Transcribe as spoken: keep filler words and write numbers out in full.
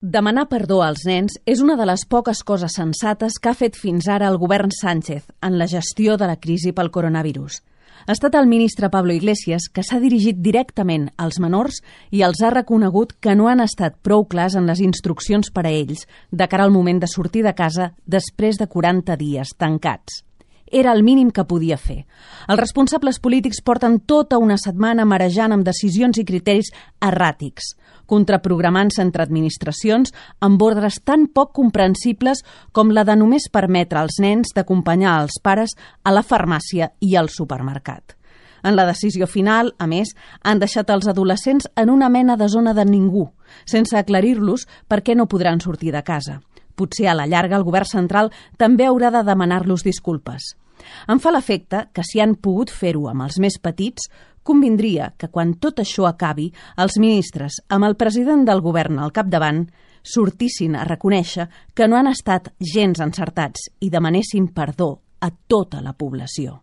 Demanar perdó als nens és una de les poques coses sensates que ha fet fins ara el govern Sánchez en la gestió de la crisi pel coronavirus. Ha estat el ministre Pablo Iglesias que s'ha dirigit directament als menors i els ha reconegut que no han estat prou clars en les instruccions per a ells de cara al moment de sortir de casa després de quaranta dies tancats. Era el mínim que podia fer. Els responsables polítics porten tota una setmana marejant amb decisions i criteris erràtics, contraprogramant-se entre administracions amb ordres tan poc comprensibles com la de només permetre als nens d'acompanyar els pares a la farmàcia i al supermercat. En la decisió final, a més, han deixat els adolescents en una mena de zona de ningú, sense aclarir-los per què no podran sortir de casa. Potser a la llarga el govern central també haurà de demanar-los disculpes. Em fa l'efecte que si han pogut fer-ho amb els més petits, convindria que quan tot això acabi, els ministres, amb el president del govern al capdavant, sortissin a reconèixer que no han estat gens encertats i demanessin perdó a tota la població.